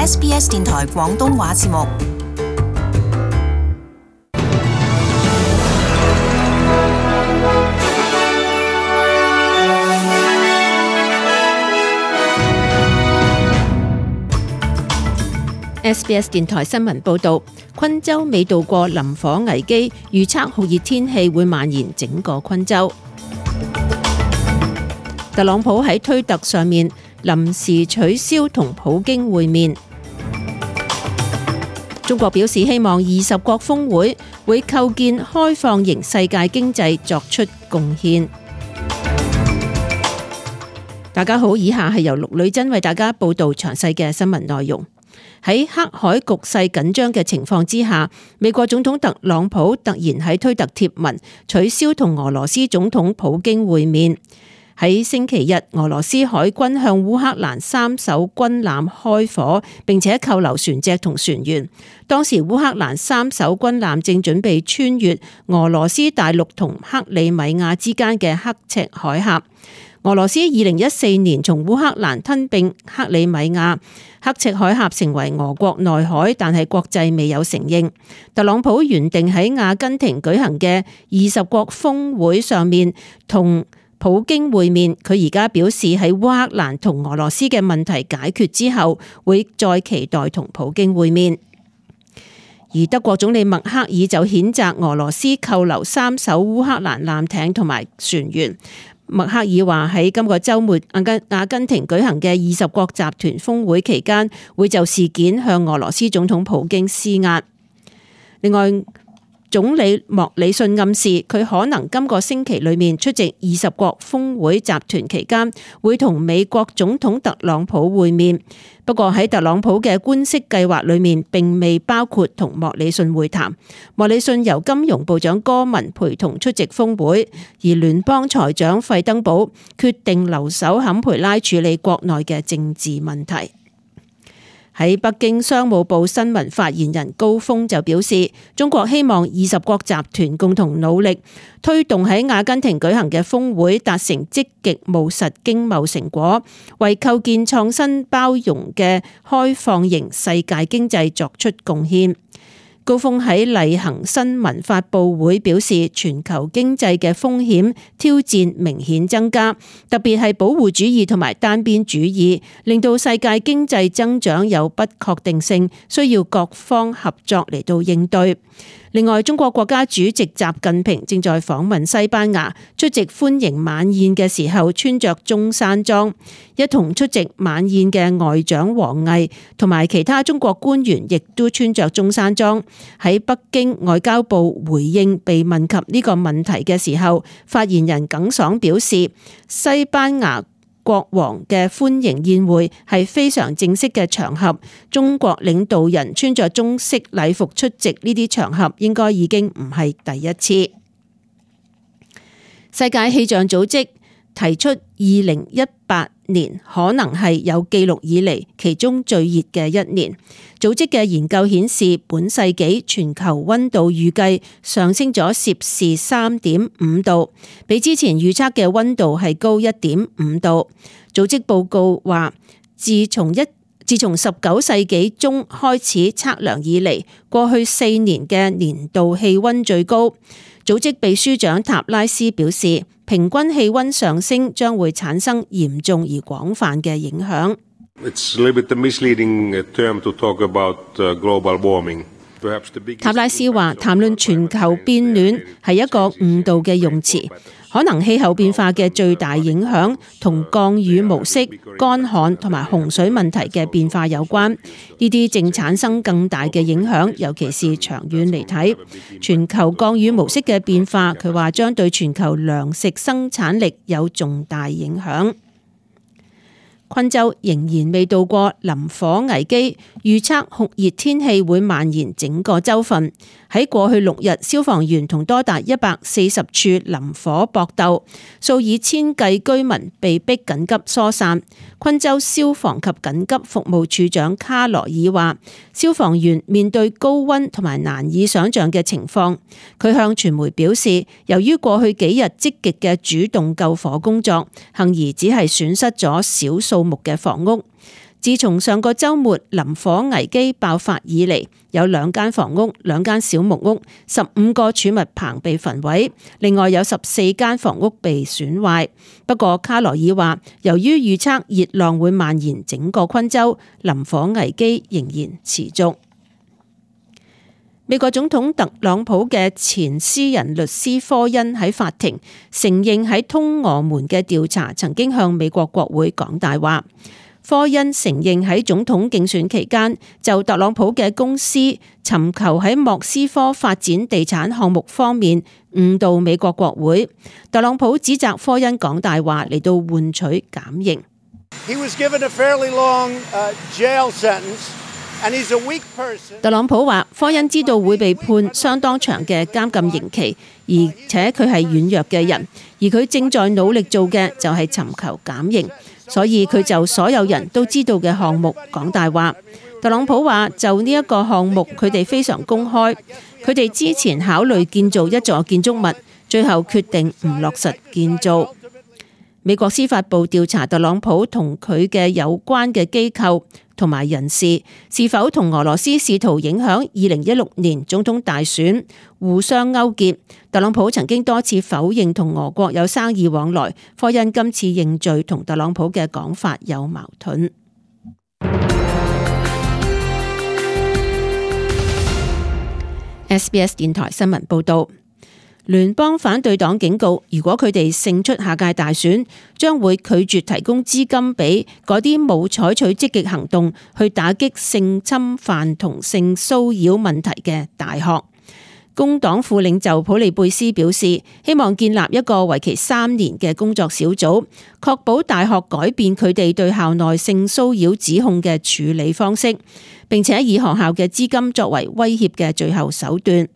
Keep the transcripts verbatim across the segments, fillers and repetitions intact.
S B S 電台廣東話節目。S B S 電台新聞報導，昆州未渡過林火危機，預測酷熱天氣會蔓延整個昆州。特朗普喺推特上面臨時取消同普京會面。中國表示希望二十國峰會會構建開放型世界經濟作出貢獻。大家好，以下係由陸女真為大家報導詳細嘅新聞內容。喺黑海局勢緊張嘅情況之下，美國總統特朗普突然喺推特貼文取消同俄羅斯總統普京會面。喺星期日，俄羅斯海軍向烏克蘭三艘軍艦開火，並且扣留船隻同船員。當時烏克蘭三艘軍艦正準備穿越俄羅斯大陸同克里米亞之間嘅刻赤海峽。俄羅斯二零一四年從烏克蘭吞併克里米亞，刻赤海峽成為俄國內海，但係國際未有承認。特朗普原定喺阿根廷舉行嘅二十國峰會上面同普京會面，佢而家表示喺烏克蘭同俄羅斯嘅問題解決之後，會再期待同普京會面。而德國總理默克爾就譴責俄羅斯扣留三艘烏克蘭艦艇同埋船員。默克爾話喺今個週末阿根阿根廷舉行嘅二十國集團峰會期間，會就事件向俄羅斯總統普京施壓。另外，總理莫里遜暗示佢可能今個星期裏面出席二十國峰會集團期間，會同美國總統特朗普會面。不過喺特朗普嘅官式計劃裏面，並未包括同莫里遜會談。莫里遜由金融部長戈文陪同出席峰會，而聯邦財長費登堡決定留守坎培拉處理國內嘅政治問題。喺北京，商務部新聞發言人高峰就表示，中國希望二十國集團共同努力，推動喺阿根廷舉行嘅峰會達成積極務實經貿成果，為構建創新包容嘅開放型世界經濟作出貢獻。高峰喺例行新聞發佈會表示，全球經濟嘅風險挑戰明顯增加，特別係保護主義同埋單邊主義，令到世界經濟增長有不確定性，需要各方合作嚟到應對。另外，中國國家主席習近平正在訪問西班牙，出席歡迎晚宴嘅時候穿着中山裝，一同出席晚宴嘅外長王毅同埋其他中國官員亦都穿着中山裝。喺北京，外交部回應被問及呢個問題嘅時候，發言人耿爽表示，西班牙國王嘅歡迎宴會係非常正式嘅場合，中國領導人穿着中式禮服出席呢啲場合，應該已經唔係第一次。世界氣象組織提出，二零一八年可能係有記錄以嚟其中最熱嘅一年。組織嘅研究顯示，本世紀全球溫度預計上升咗攝氏三點五度，比之前預測嘅溫度係高一點五度。組織報告話，自從一自從十九世紀中開始測量以嚟，過去四年嘅年度氣溫最高。組織秘書長塔拉斯表示，平均氣溫上升將會產生嚴重而廣泛嘅影響。塔拉斯話，談論全球變暖係一個誤導嘅用詞，可能氣候變化嘅最大影響同降雨模式、乾旱同埋洪水問題嘅變化有關。呢啲正產生更大嘅影響，尤其是長遠嚟睇。全球降雨模式嘅變化，佢話將對全球糧食生產力有重大影響。昆州仍然未渡過林火危機，預測酷熱天氣會蔓延整個州份。喺過去六日，消防員同多達一百四十處林火搏鬥，數以千計居民被迫緊急疏散。昆州消防及緊急服務處長卡羅爾話，消防員面對高溫同埋難以想象嘅情況。佢向傳媒表示，由於過去幾日積極嘅主動救火工作，幸而只係損失咗少數目嘅房屋。自從上個週末林火危機爆發以嚟，有兩間房屋、兩間小木屋、十五個儲物棚被焚毀，另外有十四間房屋被損壞。不過卡羅爾話，由於預測熱浪會蔓延整個昆州，林火危機仍然持續。美國總統特朗普嘅前私人律師科恩喺法庭承認喺通俄門嘅調查曾經向美國國會講大話。科恩承認喺總統競選期間就特朗普嘅公司尋求喺莫斯科發展地產項目方面誤導美國國會。特朗普指責科恩講大話嚟到換取減刑。He was given a fairly long, uh, jail sentence. 特朗普話科恩知道會被判相當長嘅監禁刑期，而且佢係軟弱嘅人，而佢正在努力做嘅就係尋求減刑，所以佢就所有人都知道嘅項目講大話。特朗普話就呢一個項目佢哋非常公開，佢哋之前考慮建造一座建築物，最後決定唔落實建造。美國司法部調查特朗普同佢嘅有關嘅機構同埋人士是否同俄羅斯試圖影響二零一六年總統大選互相勾結。特朗普曾經多次否認同俄國有生意往來，科恩今次認罪同特朗普嘅講法有矛盾。S B S 電台新聞報道。聯邦反對黨警告，如果佢哋勝出下屆大選，將會拒絕提供資金俾嗰啲冇採取積極行動去打擊性侵犯同性騷擾問題嘅大學。工黨副領袖普利貝斯表示，希望建立一個為期三年嘅工作小組，確保大學改變佢哋對校內性騷擾指控嘅處理方式，並且以學校嘅資金作為威脅嘅最後手段。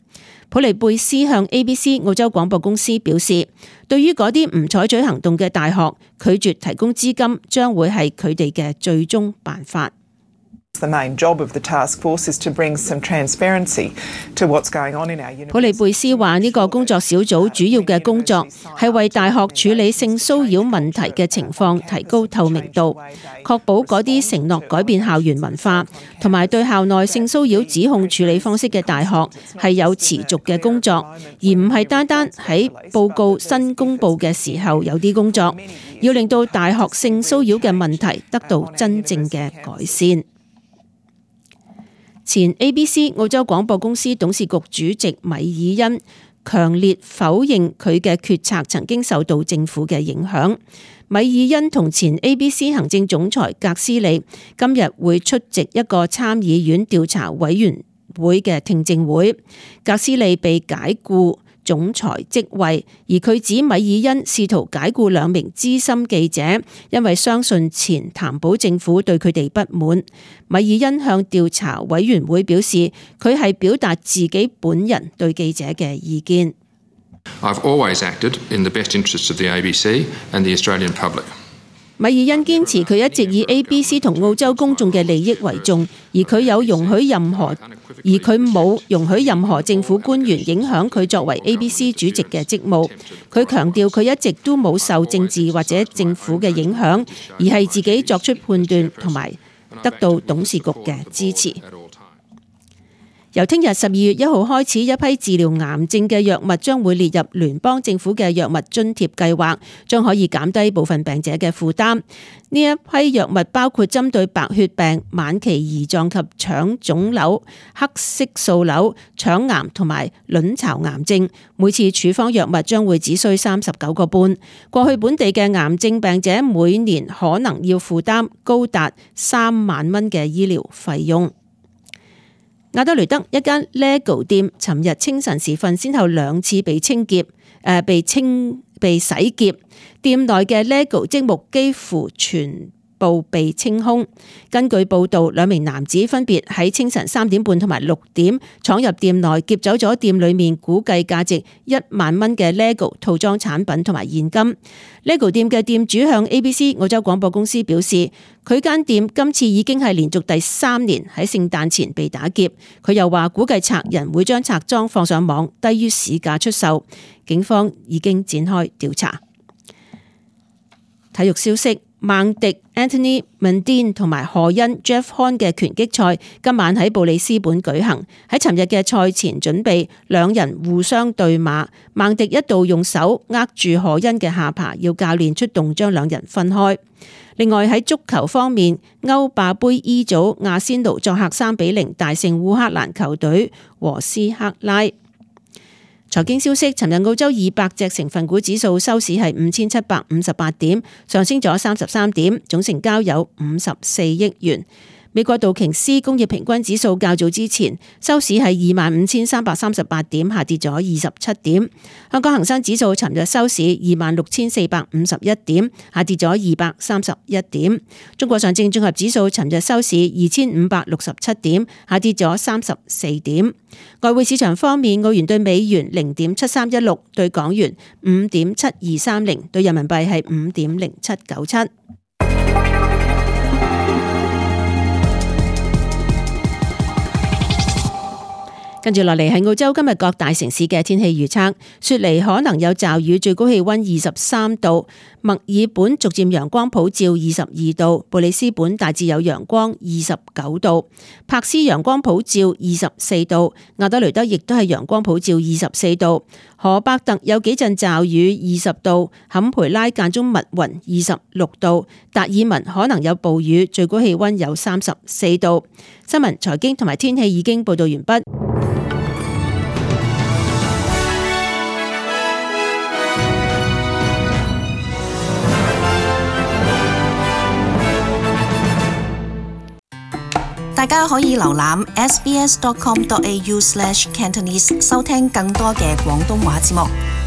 普利貝斯向 A B C 澳洲廣播公司表示，對於嗰啲唔採取行動嘅大學，拒絕提供資金將會係佢哋嘅最終辦法。普利貝斯話：呢個工作小組主要嘅工作係為大學處理性騷擾問題嘅情況提高透明度，確保嗰啲承諾改變校園文化同埋對校內性騷擾指控處理方式嘅大學係有持續嘅工作，而唔係單單喺報告新公佈嘅時候有啲工作，要令到大學性騷擾嘅問題得到真正嘅改善。前 A B C 澳洲廣播公司董事局主席米爾恩強烈否認佢嘅決策曾經受到政府嘅影響。米爾恩同前 A B C 行政總裁格斯利今日會出席一個參議院調查委員會嘅聽證會。格斯利被解雇總裁職位，而佢指米爾恩試圖解雇兩名資深記者，因為相信前譚寶政府對佢哋不滿。米爾恩向調查委員會表示，佢係表達自己本人對記者嘅意見。I've always acted in the best interests of the A B C and the Australian public. 米爾恩堅持佢一直以 A B C 同澳洲公眾嘅利益為重，而佢有容許任何，而佢冇容許任何政府官員影響佢作為 A B C 主席嘅職務。佢強調佢一直都冇受政治或者政府嘅影響，而係自己作出判斷同埋得到董事局嘅支持。由聽日十二月一號開始，一批治療癌症嘅藥物將會列入聯邦政府嘅藥物津貼計劃，將可以減低部分病者嘅負擔。呢一批藥物包括針對白血病、晚期胰臟及腸腫瘤、黑色素瘤、腸癌同埋卵巢癌症。每次處方藥物將會只需三十九個半。過去本地嘅癌症病者每年可能要負擔高達三萬蚊嘅醫療費用。亞德雷德一間 LEGO 店尋日清晨時分先後兩次被清劫，誒、呃、被清被洗劫，店內嘅 LEGO 積木幾乎全部被清空。根據報道，兩名男子分別喺清晨三點半同埋六點闖入店內，劫走咗店裏面估計價值一萬蚊嘅 LEGO 套裝產品同埋現金。LEGO 店嘅店主向 A B C 澳洲廣播公司表示，佢間店今次已經係連續第三年喺聖誕前被打劫。佢又話估計賊人會將賊贓放上網，低於市價出售。警方已經展開調查。體育消息。孟迪 Anthony Mundine 同埋何恩 Jeff Horn 嘅拳擊賽今晚喺布里斯本舉行。喺尋日嘅賽前準備，兩人互相對罵，孟迪一度用手握住何恩嘅下巴，要教練出動將兩人分開。另外喺足球方面，歐霸杯 E 組阿仙奴作客三比零大勝烏克蘭球隊和斯克拉。財經消息，尋日澳洲二百隻成分股指數收市係五千七百五十八點，上升咗三十三點，總成交有五十四億元。美國道瓊斯工業平均指數較早之前收市係二萬五千三百三十八點，下跌咗二十七點。香港恒生指數尋日收市二萬六千四百五十一點，下跌咗二百三十一點。中國上證綜合指數尋日收市二千五百六十七點，下跌咗三十四點。外匯市場方面，澳元對美元零點七三一六，對港元五點七二三零，對人民幣係五點零七九七。跟住落嚟係澳洲今日各大城市嘅天氣預測，雪梨可能有驟雨，最高氣溫二十三度；墨爾本逐漸陽光普照，二十二度；布里斯本大致有陽光，二十九度；柏斯陽光普照，二十四度；亞德雷德亦都係陽光普照，二十四度；荷伯特有幾陣驟雨，二十度；坎培拉間中密雲，二十六度；達爾文可能有暴雨，最高氣溫有三十四度。新聞、財經同埋天氣已經報道完畢。大家可以瀏覽 s b s dot com dot a u slash cantonese 收聽更多嘅廣東話節目。